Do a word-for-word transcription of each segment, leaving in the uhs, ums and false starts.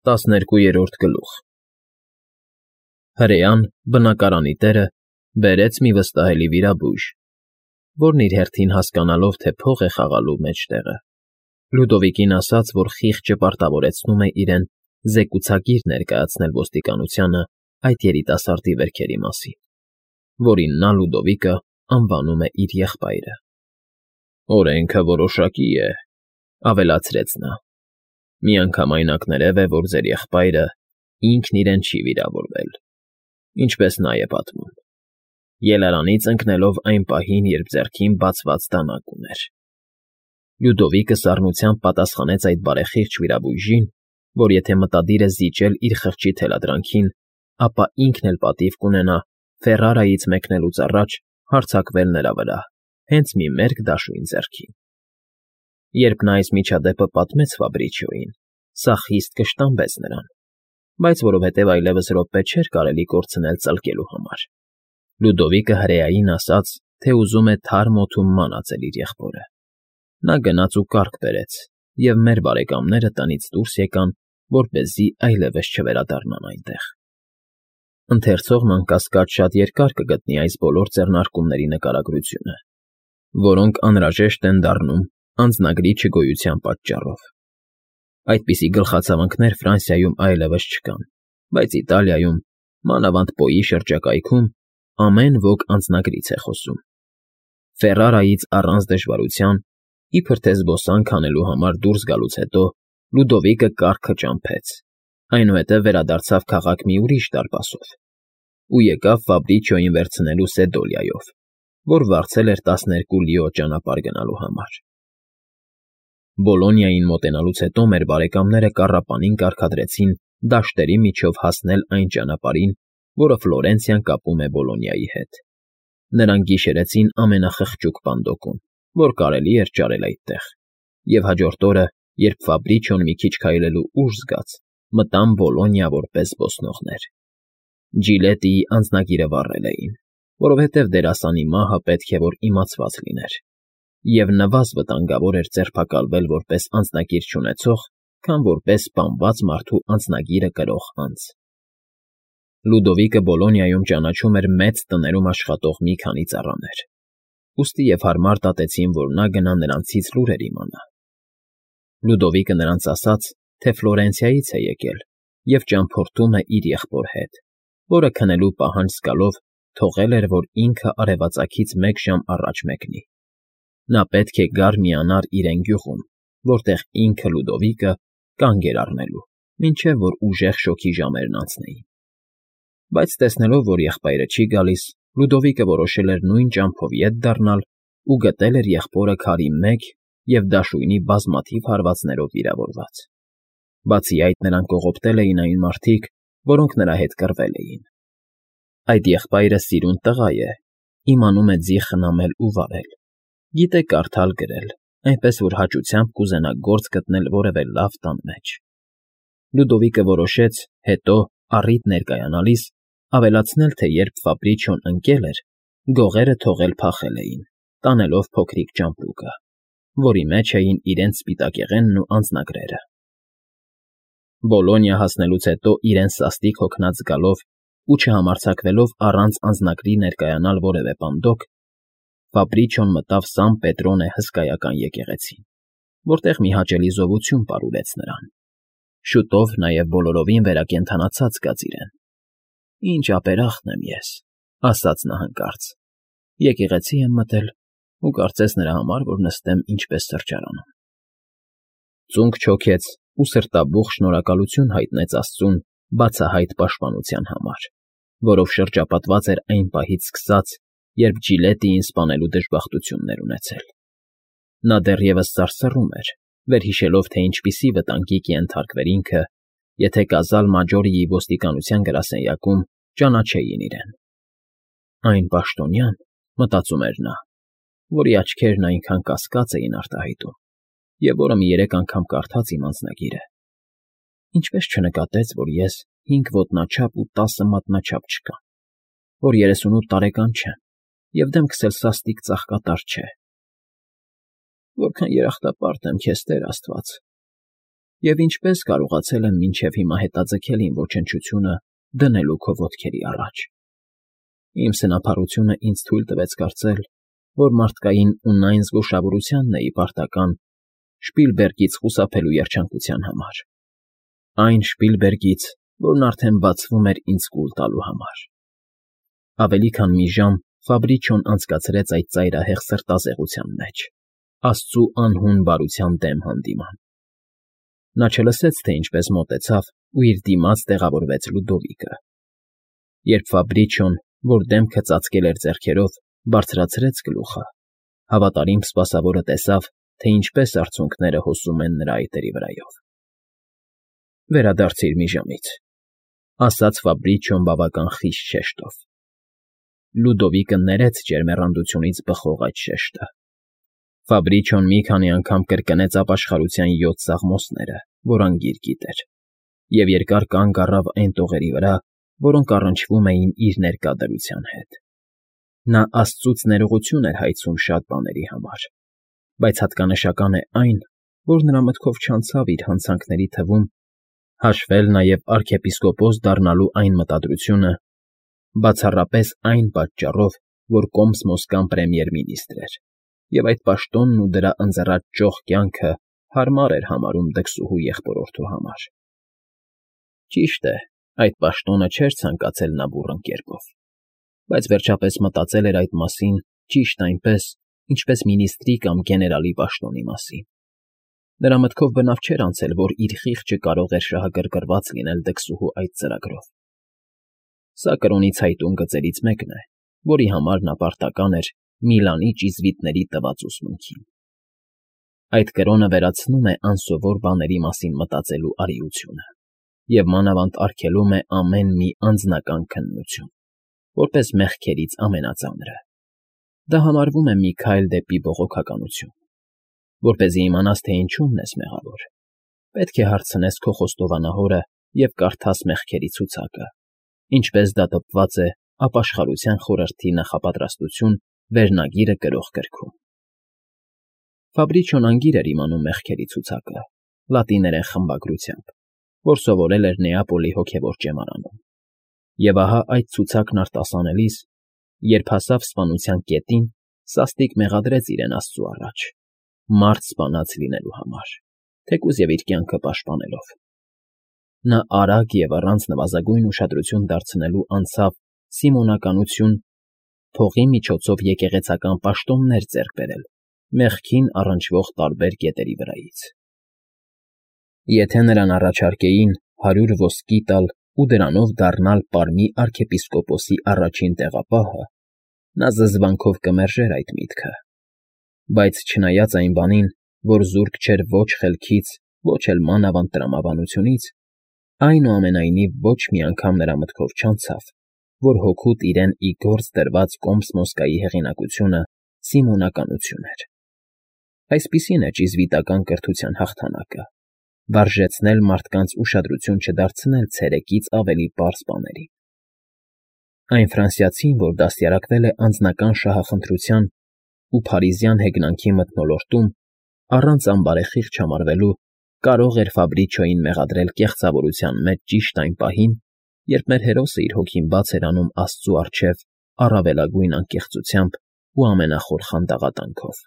Տասներկուերորդ գլուխ Հրեան, բնակարանի տերը, բերեց մի վստահելի վիրաբույժ, որն իր հերթին հասկանալով, թե փող է խաղալու մեջտեղը, Լյուդովիկին ասաց, որ խիղճը պարտավորեցնում է իրեն զեկուցագիր ներկայացնել ոստիկանությանը այդ երիտասարդի վերքերի մասին, որին նա, Լյուդովիկը, անվանում է իր եղբայրը։ «Օրենքը որոշակի է,֊ ավելացրեց նա,֊ միանգամայն ակներև է, որ ձեր եղբայրը ինքն իրեն չի վիրավորվել, ինչպես նա է պատմում, ելարանից ընկնելով այն պահին, երբ ձեռքին բացված դանակ ուներ»։ Լյուդովիկը սառնությամբ պատասխանեց այդ բարեխիղճ վիրաբույժին, որ եթե մտադիր է զիջել իր խղճի թելադրանքին, ապա ինքն էլ պատիվ կունենա Ֆերրարայից մեկնելուց առաջ հարձակվել նրա վրա, հենց մի մերկ դաշույն ձեռքին։ Երբ նա այս միջադեպը պատմեց Ֆաբրիչիոյին, սա խիստ կշտամբեց նրան, բայց որովհետև այլևս րոպե չէր կարելի կորցնել ծլկելու համար, Լյուդովիկը հրեային ասաց, թե ուզում է թարմ օդում մանածել իր եղբորը։ Նա գնաց ու կառք բերեց, և մեր բարեկամները տնից դուրս եկան, որպեսզի այլևս չվերադառնան այնտեղ։ Ընթերցողն անկասկած շատ երկար կգտնի այս բոլոր ձեռնարկումների նկարագրությունը, որոնք անհրաժեշտ են դառնում անձնագրի չգոյության պատճառով։ Այդպիսի գլխացավանքներ Ֆրանսիայում այլևս չկան, բայց Իտալիայում, մանավանդ Պոյի շրջակայքում, ամեն ոք անձնագրից է խոսում։ Ֆերրարայից առանց դժվարության, իբր թե զբոսանք անելու համար դուրս գալուց հետո, Լյուդովիկը կառքը ճամփեց, այնուհետև վերադարձավ քաղաք մի ուրիշ դարպասով ու եկավ Ֆաբրիչիոյին վերցնելու Սեդոլիայով, որ վարձել էր տասներկու լիո ճանապարհ գնալու համար։ Բոլոնիային մոտենալուց հետո մեր բարեկամները կառապանին կարգադրեցին դաշտերի միջով հասնել այն ճանապարհին, որը Ֆլորենցիան կապում է Բոլոնիայի հետ։ Նրանք գիշերեցին ամենախղճուկ պանդոկում, որ կարելի էր ճարել այդտեղ, և հաջորդ օրը, երբ Ֆաբրիչիոն մի քիչ քայլելու ուժ զգաց, մտան Բոլոնիա որպես զբոսնողներ։ Ջիլետիի անձնագիրը վառել էին, որովհետև դերասանի մահը պետք է որ իմացված լիներ, և նվազ վտանգավոր էր ձերբակալվել որպես անձնագիր չունեցող, քան որպես սպանված մարդու անձնագիրը կրող անձ։ Լյուդովիկը Բոլոնիայում ճանաչում էր մեծ տներում աշխատող մի քանի ծառաներ, ուստի և հարմար դատեցին, որ նա գնա նրանցից լուրեր իմանա։ Լյուդովիկը նրանց ասաց, թե Ֆլորենցիայից է եկել և ճամփորդում է իր եղբոր հետ, որը քնելու պահանջ զգալով թողել էր, որ ինքը արևածագից մեկ ժամ առաջ մեկնի։ Նա պետք է գար միանար իրեն գյուղում, որտեղ ինքը, Լյուդովիկը, կանգ էր առնելու, մինչև որ ուժեղ շոգի ժամերն անցնեին։ Բայց տեսնելով, որ եղբայրը չի գալիս, Լյուդովիկը որոշել էր նույն ճամփով ետ դառնալ ու գտել էր եղբորը քարի մեկ և դաշույնի բազմաթիվ հարվածներով վիրավորված։ Բացի այդ, նրան կողոպտել էին այն մարդիկ, որոնք նրա հետ կռվել էին։ Այդ եղբայրը սիրուն տղա է, իմանում է ձի խնամել ու վարել, գիտե կարդալ֊գրել, այնպես որ հաճությամբ կուզենա գործ գտնել որևէ լավ տան մեջ։ Լյուդովիկը որոշեց, հետո, առիթ ներկայանալիս, ավելացնել, թե երբ Ֆաբրիչիոն ընկել էր, գողերը թողել փախել էին, տանելով փոքրիկ ճամպրուկը, որի մեջ էին իրենց սպիտակեղենն ու անձնագրերը։ Բոլոնիա հասնելուց հետո իրեն սաստիկ հոգնած զգալով ու չհամարձակվելով առանց անձնագրի ներկայանալ որևէ պանդոկ, Ֆաբրիչիոն մտավ Սան Պետրոնե հսկայական եկեղեցին, որտեղ մի հաճելի զովություն պարուրեց նրան։ Շուտով նաև բոլորովին վերակենդանացած զգաց իրեն։ «Ինչ ապերախտ եմ ես,֊ ասաց նա հանկարծ,֊ եկեղեցի եմ մտել ու կարծես նրա համար, որ նստեմ ինչպես սրճարանում»։ Ծունկ չոքեց ու սրտաբուխ շնորհակալություն հայտնեց աստծուն բացահայտ պաշտպանության համար, որով շրջապատված էր այն պահից սկսած, երբ Ջիլետիին սպանելու դժբախտություններ ունեցել։ Նա դեռևս սարսռում էր, վերհիշելով, թե ինչպիսի վտանգի կենթարկվեր ինքը, եթե Կազալ Մաջորիի ոստիկանության գրասենյակում ճանաչեին իրեն։ «Այն պաշտոնյան,֊ մտածում էր նա,֊ որի աչքերն այնքան կասկած էին արտահայտում, և որը մի երեք անգամ կարդաց իմ անձնագիրը, ինչպես չնկատեց, որ ես հինգ ոտնաչափ ու տասը մատնաչափ չկամ, որ երեսունութ տարեկան չեմ և դեմքս էլ սաստիկ ծաղկատար չէ։ Որքան երախտապարտ եմ քեզ, Տեր աստված, Եվ ինչպես կարողացել եմ մինչև հիմա հետաձգել իմ ոչնչությունը դնելու քո ոտքերի առաջ։ Իմ սնափառությունը ինձ թույլ տվեց կարծել, որ մարդկային ունայն զգուշավորությանն էի պարտական Շպիլբերգից խուսափելու երջանկության համար։ Այն Շպիլբերգից, որն արդեն բացվում էր ինձ կուլ տալու համար։ Ավելի քան մի ժամ Ֆաբրիչոն անցկացրեց այդ ծայրահեղ սրտազեղության մեջ, Աստծու անհուն բարության դեմ հանդիման։ Նա չլսեց, թե ինչպես մոտեցավ ու իր դիմաց տեղավորվեց Լուդովիկը։ Երբ Ֆաբրիչոն, որ դեմքը ծածկել էր ձեռքերով, բարձրացրեց գլուխը, հավատարիմ սպասավորը տեսավ, թե ինչպես արցունքները հոսում են նրա այտերի վրայով։ ֊ Վերադարձիր մի ժամից, ֊ ասաց Ֆաբրիչոն բավական խիստ շեշտով։ Լուդովիկը ներեց ջերմեռանդությունից բխող այդ շեշտը։ Ֆաբրիչոն մի քանի անգամ կրկնեց ապաշխարության յոթ սաղմոսները, որ անգիր գիտեր, և երկար կանգ առավ այն տողերի վրա, որոնք առնչվում էին իր ներկա դրության հետ։ Նա Աստծուց ներողություն էր հայցում շատ բաների համար, բայց հատկանշական է այն, որ նրա մտքով չանցավ իր հանցանքների թվում հաշվել նաև արքեպիսկոպոս դառնալու այն մտադրությունը, բացառապես այն պատճառով, որ Կոմսմոսկան պրեմիեր֊մինիստրն էր, և այդ պաշտոնն ու դրա ընձեռած ճոխ կյանքը հարմար էր համարում դքսուհու եղբորորդու համար։ Ճիշտ է, այդ պաշտոնը չէր ցանկացել նա բուռն կերպով, բայց վերջապես մտածել էր այդ մասին ճիշտ այնպես, ինչպես մինիստրի կամ գեներալի պաշտոնի մասին։ Նրա մտքով բնավ չէր անցել, որ իր խիղճը կարող էր շահագրգռված լինել դքսուհու այդ ծրագրով։ Սա կրոնի ցայտուն գծերից մեկն է, որի համար նա պարտական էր Միլանի ճիզվիտների տված ուսմունքին։ Այդ կրոնը վերացնում է անսովոր բաների մասին մտածելու արիությունը և մանավանդ արգելում է ամեն մի անձնական քննություն, որպես մեղքերից ամենածանրը։ Դա համարվում է մի քայլ դեպի բողոքականություն։ Որպեսզի իմանաս, թե ինչումն ես մեղավոր, պետք է հարցնես քո խոստովանահորը և կարդաս մեղքերի ցուցակը, ինչպես դա տպված է Ապաշխարության խորհրդի նախապատրաստություն վերնագիրը կրող գրքում։ Ֆաբրիչոն անգիր էր իմանում մեղքերի ցուցակը, լատիներեն խմբագրությամբ, որ սովորել էր Նեապոլի հոգևոր ճեմարանում։ Եվ ահա այդ ցուցակն արտասանելիս, երբ հասավ սպանության կետին, սաստիկ մեղադրեց իրեն Աստծու առաջ, մարդ սպանած լինելու համար, թեկուզ և իր կյանքը պաշտպանելով։ Նա արագ և առանց նվազագույն ուշադրություն դարձնելու անցավ սիմոնականություն, փողի միջոցով եկեղեցական պաշտոններ ձեռք բերել մեղքին առնչվող տարբեր կետերի վրայից։ Եթե նրան առաջարկեին հարյուր ոսկի տալ ու դրանով դառնալ Պարմի արքեպիսկոպոսի առաջին տեղապահը, նա զզվանքով կմերժեր այդ միտքը, բայց չնայած այն բանին, որ զուրկ չէր ոչ խելքից, ոչ էլ մանավանդ տրամաբանությունից, այնուամենայնիվ ոչ մի անգամ նրա մտքով չանցավ, որ հօգուտ իրեն ի գործ դրված Կոմսմոսկայի հեղինակությունը սիմոնականություն էր։ Այսպիսին է ճիզվիտական կրթության հաղթանակը՝ վարժեցնել մարդկանց ուշադրություն չդարձնել ցերեկից ավելի պարզ բաներին։ Այն ֆրանսիացին, որ դաստիարակվել է անձնական շահախնդրության ու փարիզյան հեգնանքի մթնոլորտում, առանց անբարեխիղճ համարվելու, կարող էր Ֆաբրիչոյին մեղադրել կեղծավորության մեջ ճիշտ այն պահին, երբ մեր հերոսը իր հոգին բաց էր անում Աստծու առջև առավելագույն անկեղծությամբ ու ամենախոր խանդաղատանքով։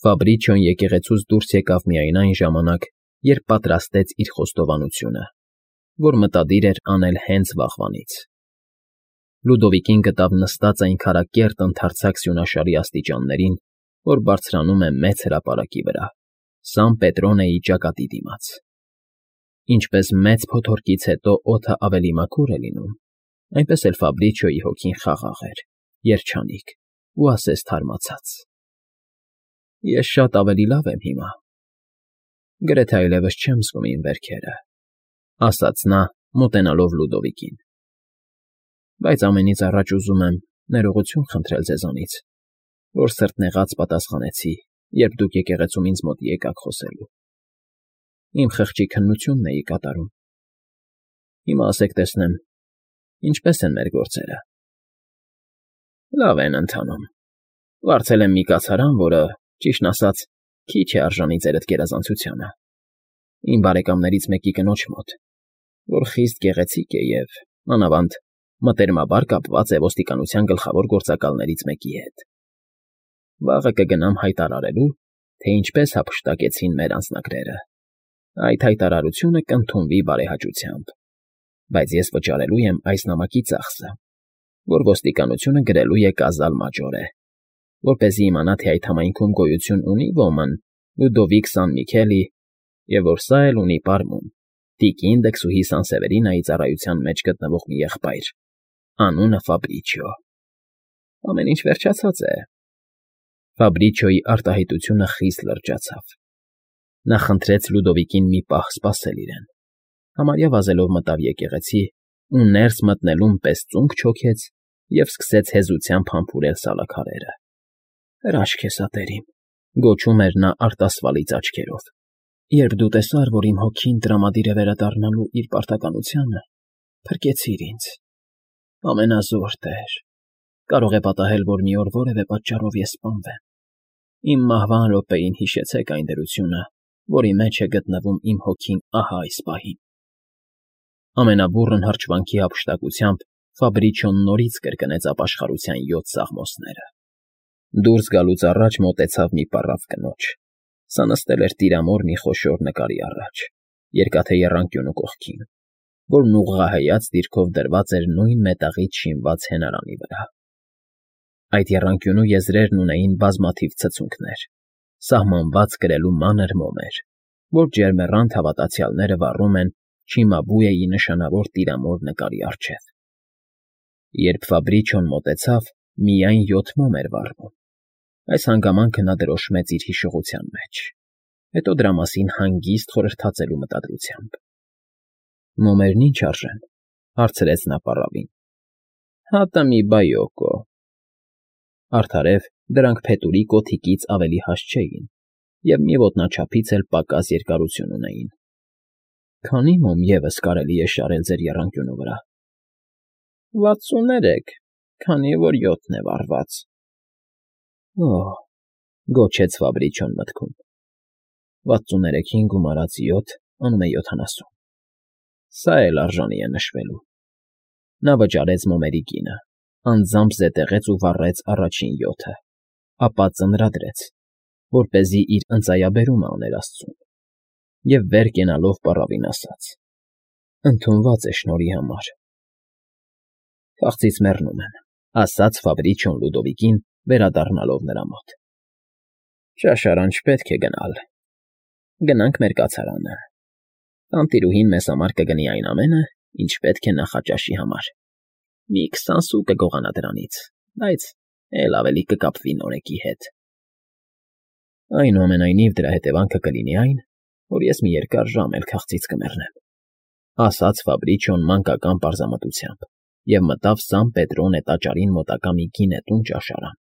Ֆաբրիչոն եկեղեցուց դուրս եկավ միայն այն ժամանակ, երբ պատրաստեց իր խոստովանությունը, որ մտադիր էր անել հենց վաղվանից։ Լուդովիկին գտավ նստած այն քարակերտ ընդարձակ սյունաշարի աստիճաններին, որ բարձրանում է մեծ հրապարակի վրա, Սան Պետրոնեի ճակատի դիմաց։ Ինչպես մեծ փոթորկից հետո օդը ավելի մաքուր է լինում, այնպես էլ Ֆաբրիչոյի հոգին խաղաղ էր, երջանիկ ու ասես թարմացած։ Ես շատ ավելի լավ եմ հիմա։ Գրեթե այլևս չեմ զգում իմ վերքերը, ֊ ասաց նա, մոտենալով Լուդովիկին։ Բայց ամենից առաջ ուզում եմ ներողություն խնդրել ձեզանից, որ սրտնեղած պատասխանեցի, երբ դուք եկեղեցում ինձ մոտ եկաք խոսելու։ Իմ խղճի քննությունն էի կատարում։ Հիմա ասեք տեսնեմ, ինչպե՞ս են մեր գործերը։ Լավ են ընթանում։ Վարձել եմ մի կացարան, որը, ճիշտն ասած, քիչ է արժանի ձերդ գերազանցությանը, Իմ բարեկամներից մեկի կնոջ մոտ, որ խիստ գեղեցիկ է և, մանավանդ, մտերմաբար կապված է ոստիկանության գլխավոր գործակալներից մեկի հետ։ Վաղը կգնամ հայտարարելու, թե ինչպես հափշտակեցին մեր անձնագրերը։ Այդ հայտարարությունը կընդունվի բարեհաճությամբ, բայց ես վճարելու եմ այս նամակի ծախսը, որ ոստիկանությունը գրելու է Կազալ մաջորե, որպեսզի իմանա, թե այդ համայնքում գոյություն ունի ոմն Լյուդովիկ Սան֊Միքելի, և որ սա էլ ունի պարմուն, տիկին դքսուհի Սանսևերինայի ծառայության մեջ գտնվող մի եղբայր, անունը Ֆաբրիչիո։ Ամեն ինչ վերջացած է։ Ֆաբրիչիոյի արտահայտությունը խիստ լրջացավ։ Նա խնդրեց Լյուդովիկին մի պահ սպասել իրեն, համարյա վազելով մտավ եկեղեցի ու ներս մտնելուն պես ծունկ չոքեց և սկսեց հեզությամբ համբուրել սալաքարերը։ «Հրաշք է սա, տերիմ», գոչում էր նա արտասվալից աչքերով։ «Երբ դու տեսար, որ իմ հոգին տրամադիր է վերադառնալու իր պարտականությանը, փրկեցիր ինձ։ Ամենազոր Տեր, կարող է պատահել, որ մի օր որևէ պատճառով ես սպանվեմ։ Իմ մահվան րոպեին հիշեցեք այն դրությունը, որի մեջ է գտնվում իմ հոգին ահա այս պահին»։ Ամենաբուռն հրճվանքի հափշտակությամբ Ֆաբրիչիոն նորից կրկնեց ապաշխարության յոթ սաղմոսները։ Դուրս գալուց առաջ մոտեցավ մի պառավ կնոջ։ Սա նստել էր տիրամոր մի խոշոր նկարի առաջ, երկաթե եռանկյունու կողքին, որն ուղղահայաց դիրքով դրված էր նույն մետաղից շինված հենարանի վրա։ Այդ եռանկյունու եզրերն ունեին բազմաթիվ ցցունքներ, սահմանված կրելու մանր մոմեր, որ ջերմեռանդ հավատացյալները վառում են Չիմաբուեի նշանավոր տիրամոր նկարի առջև։ Երբ Ֆաբրիչիոն մոտեցավ, միայն յոթ մոմ էր վառվում։ Այս հանգամանքը նա դրոշմեց իր հիշողության մեջ, հետո դրա մասին հանգիստ խորհրդածելու մտադրությամբ։ «Մոմերն ի՞նչ արժեն», հարցրեց նա պառավին։ «Հատը մի բայոկո»։ Արդարև դրանք փետուրի կոթիկից ավելի հաստ չէին և մի ոտնաչափից էլ պակաս երկարություն ունեին։ «Քանի՞ մոմ ևս կարելի է շարել ձեր եռանկյունու վրա»։ «Վաթսուններեք, քանի որ յոթն է վառված»։ «Օ՜», գոչեց Ֆաբրիչիոն մտքում։ «Վաթսուններեքին գումարած յոթ անում է յոթանասուն։ Սա էլ արժանի է նշվելու»։ Նա վճարեց մոմերի գինը, անձամբ զետեղեց ու վառեց առաջին յոթը, ապա ծանրադրեց, որպեսզի իր ընծայաբերումը աներ աստծուն, և վեր կենալով պառավին ասաց. «Ընդունված է շնորհի համար»։ «Քաղցից մեռնում եմ», ասաց Ֆաբրիչիոն Լյուդովիկին, վերադառնալով նրա մոտ։ «Ճաշարան չպետք է գնալ։ Գնանք մեր կացարանը։ Տանտիրուհին մեզ համար կգնի այն ամենը, ինչ պետք է նախաճաշի համար։ Մի քսան սու կգողանա դրանից, բայց էլ ավելի կկապվի նորեկի հետ։ Այնուամենայնիվ դրա հետևանքը կլինի այն, որ ես մի երկար ժամ էլ քաղցից կմեռնեմ», ասաց Ֆաբրիչիոն մանկական պարզամտությամբ և մտավ Սան Պետրոնե տաճարին մոտակա մի գինետուն ճաշարան։